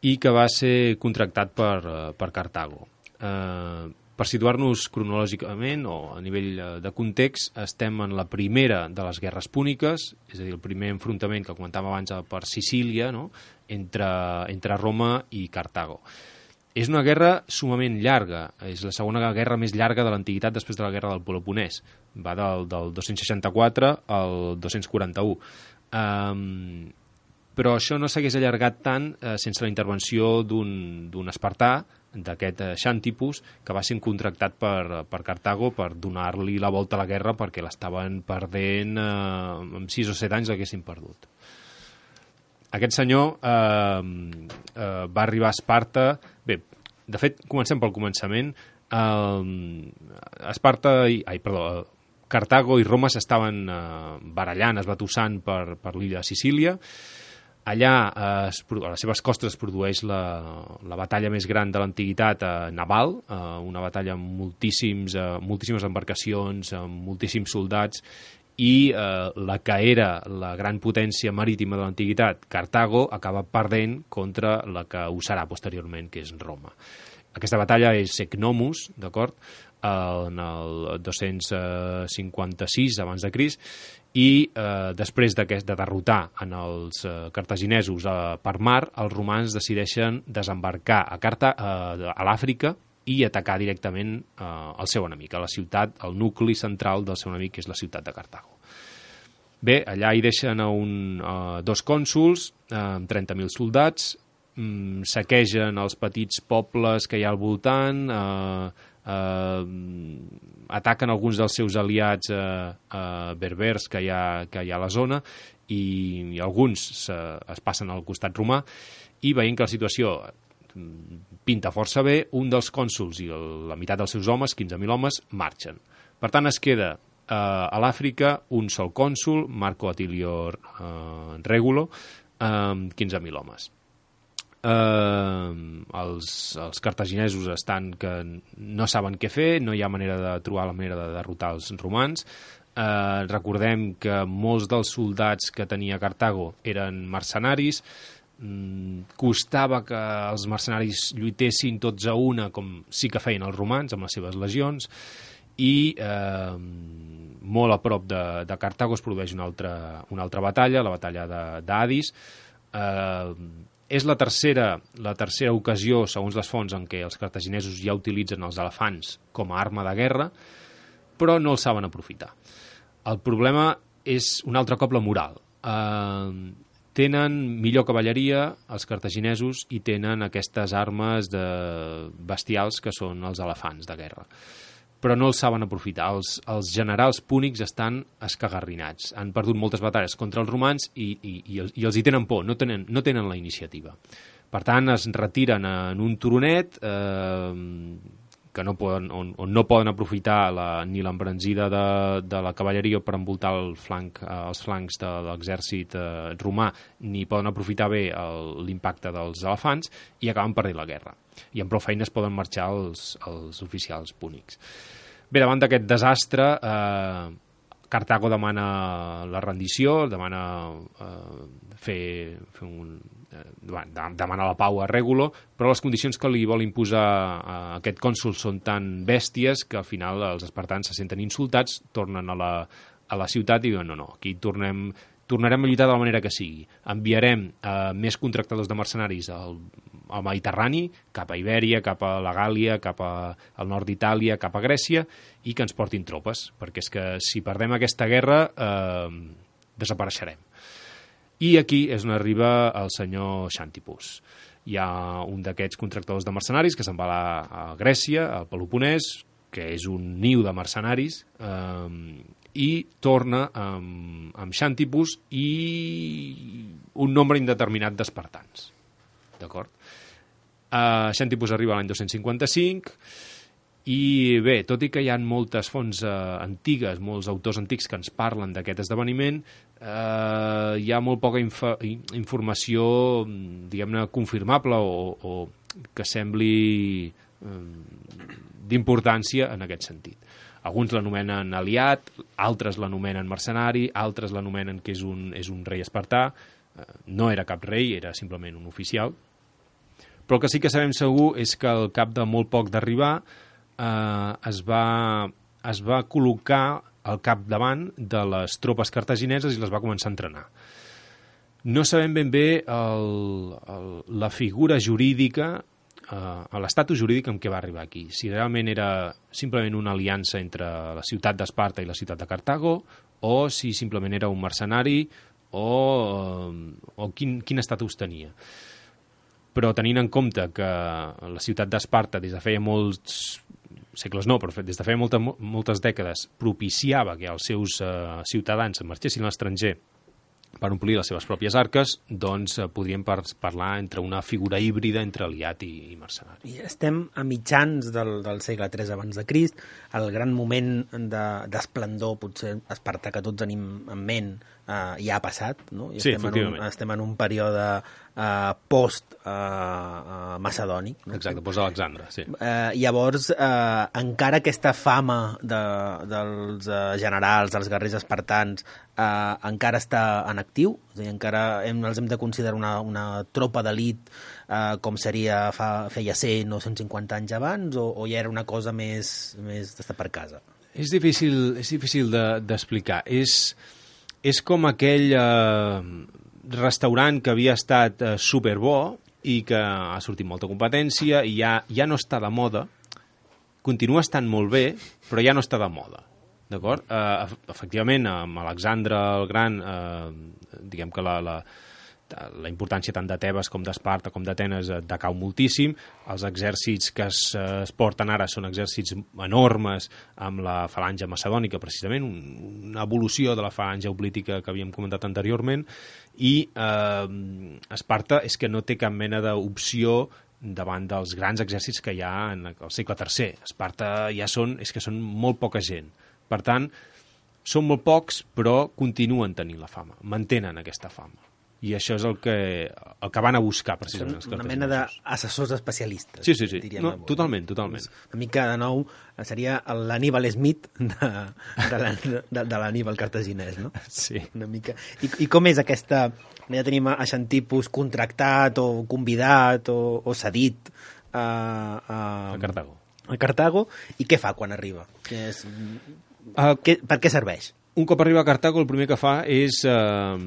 i que va ser contractat per, per Cartago. Uh, per situar-nos cronològicament o a nivell de context, estem en la primera de les guerres púniques, és a dir, el primer enfrontament que comentàvem abans per Sicília, no? entre, entre Roma i Cartago. És una guerra sumament llarga, és la segona guerra més llarga de l'antiguitat després de la guerra del Peloponès. Va del, del dos-cents seixanta-quatre al dos-cents quaranta-u. Um, però això no s'hagués allargat tant eh, sense la intervenció d'un espartà, d'aquest eh, Xantipus, que va ser contractat per, per Cartago per donar-li la volta a la guerra perquè l'estaven perdent, eh, amb sis o set anys l'haguessin perdut. Aquest senyor eh, eh, va arribar a Esparta... Bé, de fet, comencem pel començament. Eh, Esparta... I, ai, perdó, Cartago i Roma s'estaven eh, barallant, esbatussant per, per l'illa de Sicília. Allà, eh, es, a les seves costes, es produeix la, la batalla més gran de l'antiguitat eh, naval, eh, una batalla amb moltíssims, eh, moltíssimes embarcacions, amb moltíssims soldats, i eh, la que era la gran potència marítima de l'antiguitat, Cartago, acaba perdent contra la que ho serà posteriorment, que és Roma. Aquesta batalla és Secnomus, d'acord, en el dos-cents cinquanta-sis abans de Crist, i eh, després de derrotar en els eh, cartaginesos eh, per mar, els romans decideixen desembarcar a, Carta, eh, a l'Àfrica i atacar directament eh, el seu enemic, a la ciutat, el nucli central del seu enemic, que és la ciutat de Cartago. Bé, allà hi deixen a un, eh, dos cònsols eh, amb trenta mil soldats, mm, saquegen els petits pobles que hi ha al voltant, eh, eh, ataquen alguns dels seus aliats eh, eh, berbers que hi, ha, que hi ha a la zona i, i alguns se, es passen al costat romà i veient que la situació pinta força bé, un dels cònsols i el, la meitat dels seus homes, quinze mil homes, marxen. Per tant, es queda eh, a l'Àfrica un sol cònsol, Marco Atilio eh, Regulo, amb eh, quinze mil homes. Eh, els, els cartaginesos estan que no saben què fer, no hi ha manera de trobar la manera de derrotar els romans. Eh, recordem que molts dels soldats que tenia Cartago eren mercenaris, costava que els mercenaris lluitessin tots a una com sí que feien els romans amb les seves legions i eh, molt a prop de, de Cartago es produeix una altra, una altra batalla, la batalla d'Adis. Eh, és la tercera, la tercera ocasió, segons les fonts, en què els cartaginesos ja utilitzen els elefants com a arma de guerra, però no els saben aprofitar. El problema és un altre cop la moral. Eh, tenen millor cavalleria els cartaginesos i tenen aquestes armes de bestials que són els elefants de guerra. Però no els saben aprofitar. Els, els generals púnics estan escagarrinats. Han perdut moltes batalles contra els romans i, i, i, els, i els hi tenen por, no tenen, no tenen la iniciativa. Per tant, es retiren en un turonet eh, que no poden, on, on no poden aprofitar la, ni l'embranzida de, de la cavalleria per envoltar el flanc, eh, els flancs de l'exèrcit eh, romà, ni poden aprofitar bé l'impacte dels elefants i acaben perdent la guerra. I amb prou feines poden marxar els, els oficials púnics. Bé, davant d'aquest desastre, eh, Cartago demana la rendició, demana eh, fer, fer un, eh, demana la pau a Règulo, però les condicions que li vol imposar a aquest cònsol són tan bèsties que al final els espartans se senten insultats, tornen a la, a la ciutat i diuen no, no, aquí tornem... tornarem a lluitar de la manera que sigui. Enviarem eh, més contractadors de mercenaris al, al Mediterrani, cap a Ibèria, cap a la Gàlia, cap a, al nord d'Itàlia, cap a Grècia, i que ens portin tropes, perquè és que si perdem aquesta guerra eh, desapareixerem. I aquí és on arriba el senyor Xantipus. Hi ha un d'aquests contractadors de mercenaris que se'n va a, a Grècia, al Peloponès, que és un niu de mercenaris, eh, i torna amb, amb Xantipus i un nombre indeterminat d'espartans. D'acord? Uh, Xantipus arriba l'any dos-cents cinquanta-cinc i bé, tot i que hi ha moltes fonts uh, antigues, molts autors antics que ens parlen d'aquest esdeveniment, uh, hi ha molt poca inf informació, diguem-ne, confirmable o, o que sembli um, d'importància en aquest sentit. Alguns l'anomenen aliat, altres l'anomenen mercenari, altres l'anomenen que és un, és un rei espartà. No era cap rei, era simplement un oficial. Però el que sí que sabem segur és que al cap de molt poc d'arribar eh, es, va, es va col·locar al capdavant de les tropes cartagineses i les va començar a entrenar. No sabem ben bé el, el, la figura jurídica, a l'estatus jurídic amb què va arribar aquí. Si realment era simplement una aliança entre la ciutat d'Esparta i la ciutat de Cartago, o si simplement era un mercenari, o, o quin, quin estatus tenia. Però tenint en compte que la ciutat d'Esparta des de feia molts segles no, però des de feia molta, moltes dècades propiciava que els seus eh, ciutadans marxessin a l'estranger per omplir les seves pròpies arques, doncs eh, podríem par parlar entre una figura híbrida entre aliat i, i mercenari. I estem a mitjans del, del segle tres abans de Crist, el gran moment d'esplendor, de, potser espartà que tots tenim en ment, eh, ja ha passat, no? I sí, estem en un, estem en un període eh, post eh, eh, macedònic. No? Exacte, post-Alexandre, sí. Eh, llavors, eh, encara aquesta fama de, dels eh, generals, dels guerrers espartans, eh, encara està en actiu, és a dir, encara hem, els hem de considerar una, una tropa d'elit eh, com seria fa, feia cent o cent cinquanta anys abans, o, o ja era una cosa més, més d'estar per casa? És difícil, és difícil d'explicar. De, és, és com aquell eh, restaurant que havia estat eh, superbo i que ha sortit molta competència i ja, ja no està de moda, continua estant molt bé, però ja no està de moda. D'acord? Eh, efectivament, amb Alexandre el Gran, eh, diguem que la, la, la importància tant de Tebes com d'Esparta com d'Atenes decau moltíssim. Els exèrcits que es, es porten ara són exèrcits enormes amb la falange macedònica, precisament, un, una evolució de la falange oplítica que havíem comentat anteriorment, i eh, Esparta és que no té cap mena d'opció davant dels grans exèrcits que hi ha en el segle tercer. Esparta ja són, és que són molt poca gent. Per tant, són molt pocs, però continuen tenint la fama, mantenen aquesta fama. I això és el que, el que van a buscar, precisament. Són una mena d'assessors especialistes. Sí, sí, sí. No, totalment, totalment. Una mica, de nou, seria l'Aníbal Smith de, de l'Aníbal cartaginès, no? Sí. Una mica. I, I com és aquesta... Ja tenim a Xantipus contractat o convidat o, o cedit a, a, a Cartago. A Cartago. I què fa quan arriba? Que és, uh, què, per què serveix? Un cop arriba a Cartago, el primer que fa és... Uh,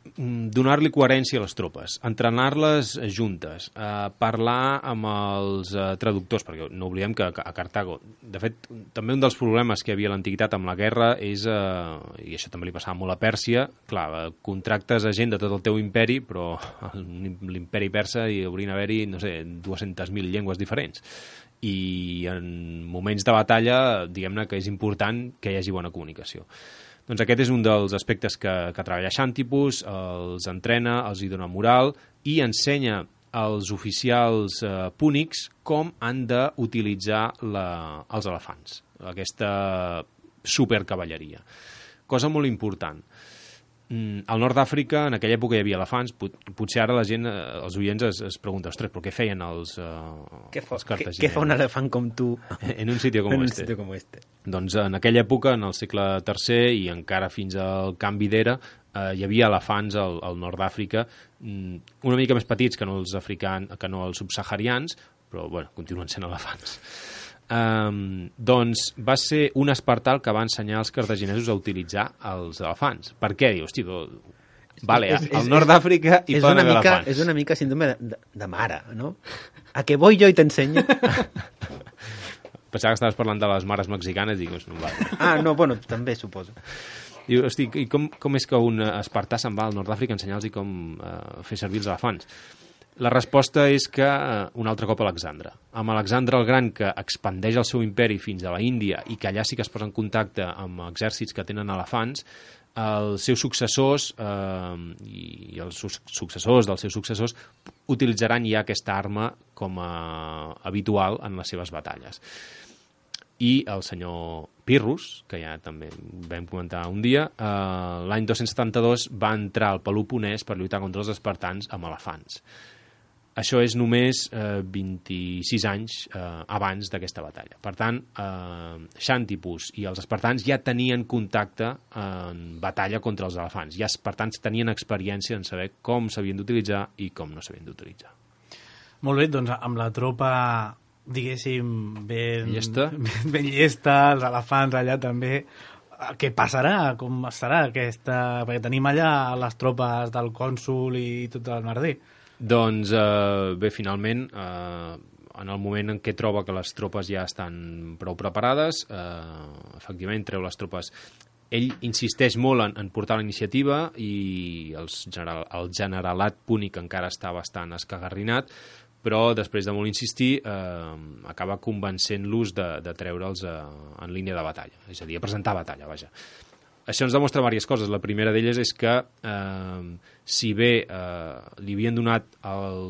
donar-li coherència a les tropes, entrenar-les juntes, eh, parlar amb els eh, traductors, perquè no oblidem que a Cartago, de fet, també un dels problemes que hi havia a l'antiguitat amb la guerra és, eh, i això també li passava molt a Pèrsia, clar, eh, contractes a gent de tot el teu imperi, però l'imperi persa hi haurien d'haver-hi, no sé, dues-centes mil llengües diferents. I en moments de batalla, diguem-ne que és important que hi hagi bona comunicació. Doncs aquest és un dels aspectes que, que treballa Xantipus, els entrena, els hi dona moral i ensenya als oficials eh, púnics com han d'utilitzar els elefants, aquesta supercavalleria. Cosa molt important. Al nord d'Àfrica, en aquella època hi havia elefants, pot, potser ara la gent, els oients es, es pregunta, ostres, però què feien els, uh, què fa, els cartaginesos? Què fa un elefant com tu en un sitio com en un este? Sitio como este? Doncs en aquella època, en el segle tercer i encara fins al canvi d'era, eh, hi havia elefants al, al nord d'Àfrica, una mica més petits que no els africans, que no els subsaharians, però bueno, continuen sent elefants. Um, doncs va ser un espartà el que va ensenyar als cartaginesos a utilitzar els elefants. Per què? Diu, hosti, vale, és, és, al nord d'Àfrica hi poden haver elefants. És una mica síndrome de, de, de mare, no? A què voy jo i t'ensenyo? Pensava que estaves parlant de les mares mexicanes i dic, no vale. Ah, no, bueno, també suposo. Diu, hosti, i com, com és que un espartà se'n va al nord d'Àfrica a ensenyar-los com uh, fer servir els elefants? La resposta és que uh, un altre cop Alexandre. Amb Alexandre el Gran, que expandeix el seu imperi fins a la Índia i que allà sí que es posa en contacte amb exèrcits que tenen elefants, els seus successors eh, i els successors dels seus successors utilitzaran ja aquesta arma com a habitual en les seves batalles. I el senyor Pirrus, que ja també vam comentar un dia, eh, l'any dos-cents setanta-dos va entrar al Peloponès per lluitar contra els espartans amb elefants. Això és només eh, vint-i-sis anys eh, abans d'aquesta batalla. Per tant, eh, Xantipus i els espartans ja tenien contacte en batalla contra els elefants. Ja els espartans tenien experiència en saber com s'havien d'utilitzar i com no s'havien d'utilitzar. Molt bé, doncs amb la tropa, diguéssim, ben llesta, ben, ben llesta, els elefants allà també, què passarà? Com serà aquesta... Perquè tenim allà les tropes del cònsul i tot el merder. Doncs eh, bé, finalment, eh, en el moment en què troba que les tropes ja estan prou preparades, eh, efectivament treu les tropes. Ell insisteix molt en, en portar la iniciativa i els general, el generalat púnic encara està bastant escagarrinat, però després de molt insistir eh, acaba convencent-los de, de treure'ls eh, en línia de batalla, és a dir, a presentar batalla, vaja. Això ens demostra diverses coses. La primera d'elles és que, eh, si bé eh, li havien donat el,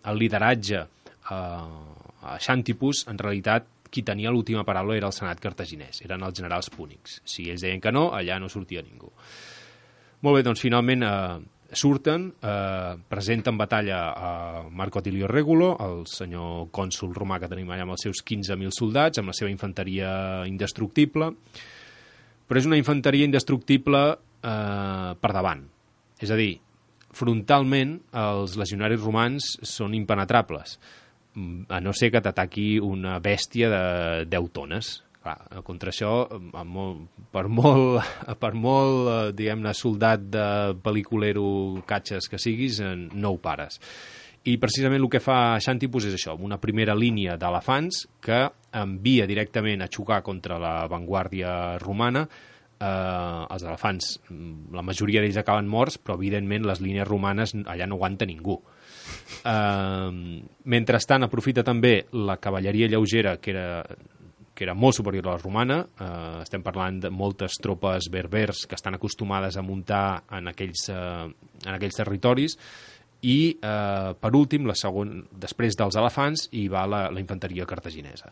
el lideratge eh, a Xantipus, en realitat qui tenia l'última paraula era el senat cartaginès, eren els generals púnics. Si ells deien que no, allà no sortia ningú. Molt bé, doncs finalment eh, surten, eh, presenten batalla a Marco Atilio Regulo, el senyor cònsul romà que tenim allà amb els seus quinze mil soldats, amb la seva infanteria indestructible, però és una infanteria indestructible eh, per davant. És a dir, frontalment els legionaris romans són impenetrables, a no ser que t'ataqui una bèstia de deu tones. Clar, contra això, molt, per molt, per molt eh, diguem-ne, soldat de pel·liculero catxes que siguis, eh, no ho pares. I precisament el que fa Xantipus és això, una primera línia d'elefants que envia directament a xocar contra la vanguardia romana. Eh, els elefants, la majoria d'ells acaben morts, però evidentment les línies romanes allà no aguanta ningú. Eh, mentrestant aprofita també la cavalleria lleugera, que era, que era molt superior a la romana. Eh, estem parlant de moltes tropes berbers que estan acostumades a muntar en aquells, eh, en aquells territoris. I, eh, per últim, la segon, després dels elefants, hi va la, la infanteria cartaginesa.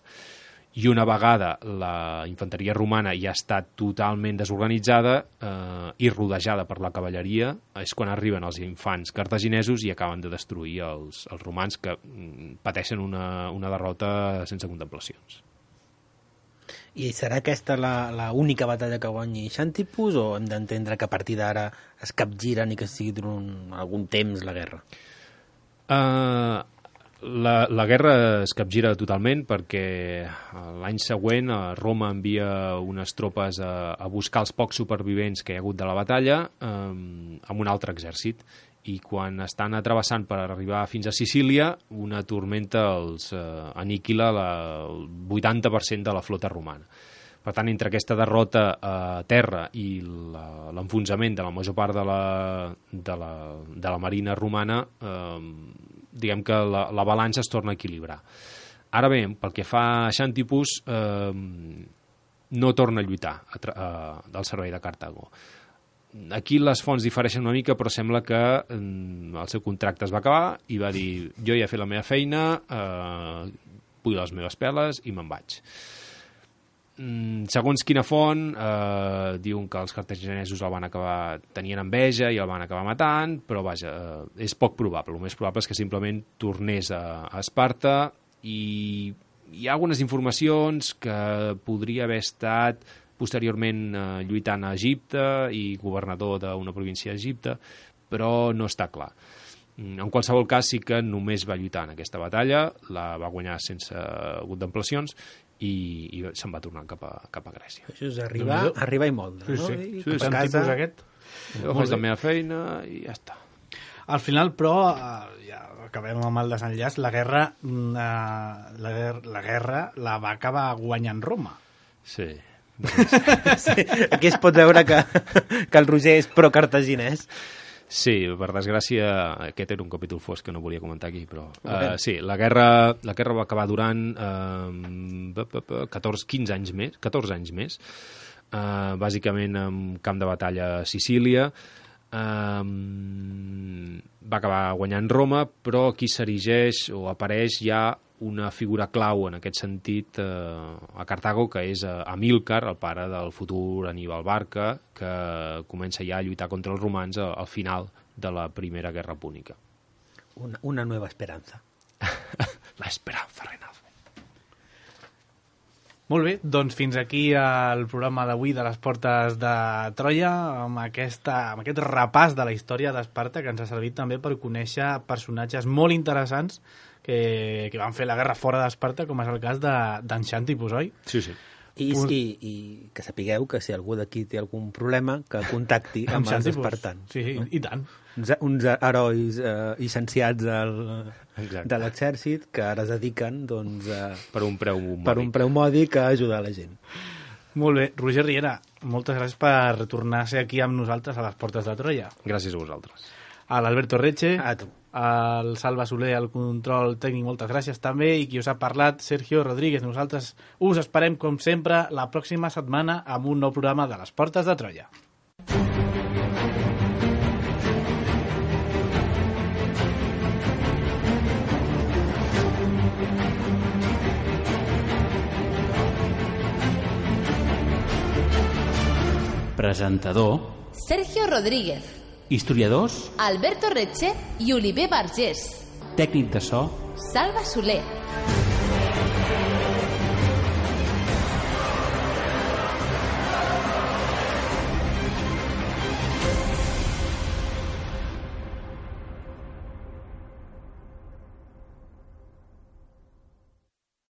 I una vegada la infanteria romana ja està totalment desorganitzada eh, i rodejada per la cavalleria, és quan arriben els infants cartaginesos i acaben de destruir els, els romans, que mm, pateixen una, una derrota sense contemplacions. I serà aquesta la, la única batalla que guanyi Xantipus, o hem d'entendre que a partir d'ara es capgiren i que sigui durant algun temps la guerra? Uh, La, la guerra es capgira totalment perquè l'any següent Roma envia unes tropes a, a buscar els pocs supervivents que hi ha hagut de la batalla eh, amb un altre exèrcit, i quan estan travessant per arribar fins a Sicília, una tormenta els eh, aniquila la, el vuitanta per cent de la flota romana. Per tant, entre aquesta derrota a terra i l'enfonsament de la major part de la, de la, de la marina romana, eh, diguem que la, la balança es torna a equilibrar. Ara bé, pel que fa a Xàntipus, eh, no torna a lluitar a, a, del servei de Cartago. Aquí les fonts difereixen una mica, però sembla que eh, el seu contracte es va acabar i va dir, jo ja he fet la meva feina, eh, vull les meves peles i me'n vaig. Mm, segons quina font, eh, diuen que els cartaginesos el van acabar tenien enveja i el van acabar matant, però vaja, eh, és poc probable. El més probable és que simplement tornés a, a Esparta, i hi ha algunes informacions que podria haver estat posteriorment eh, lluitant a Egipte i governador d'una província d'Egipte, però no està clar. En qualsevol cas, sí que només va lluitar en aquesta batalla, la va guanyar sense contemplacions, i, i se'n va tornar cap a, cap a Grècia. Això és arribar, arribar i moldre, sí, no? Sí, I sí, cap a casa. Aquest. Jo faig la meva feina i ja està. Al final, però, eh, ja acabem amb el desenllaç, la guerra, eh, la, la guerra la va acabar guanyant Roma. Sí. Sí, aquí es pot veure que, que el Roger és pro-cartaginès. Sí, per desgràcia, aquest era un capítol fosc que no volia comentar aquí, però uh, sí, la guerra, la guerra va acabar durant uh, catorze, quinze anys més, catorze anys més, uh, bàsicament en camp de batalla a Sicília. Uh, va acabar guanyant Roma, però aquí s'erigeix o apareix ja una figura clau en aquest sentit eh, a Cartago, que és eh, Amílcar, el pare del futur Aníbal Barca, que comença ja a lluitar contra els romans al, al final de la Primera Guerra Púnica. Una, una nueva esperanza. La esperanza renal. Molt bé, doncs fins aquí el programa d'avui de les Portes de Troia, amb, aquesta, amb aquest repàs de la història d'Esparta, que ens ha servit també per conèixer personatges molt interessants que, que van fer la guerra fora d'Esparta, com és el cas d'en Xàntipus, oi? Sí, sí. I, i, I que sapigueu que si algú d'aquí té algun problema, que contacti amb, amb els espartans. Sí, no? I tant. Uns, uns herois eh, llicenciats al, de l'exèrcit que ara es dediquen doncs, a, per un preu mòdic. per un preu mòdic a ajudar la gent. Molt bé. Roger Riera, moltes gràcies per tornar a ser aquí amb nosaltres a les Portes de Troia. Gràcies a vosaltres. A l'Alberto Reche, a tu. Al Salva Soler, al control tècnic, moltes gràcies també, i qui us ha parlat, Sergio Rodríguez. Nosaltres us esperem, com sempre, la pròxima setmana amb un nou programa de les Portes de Troia. Presentador Sergio Rodríguez. Historiadors Alberto Reche i Oliver Vergés. Tècnic de so Salva Soler.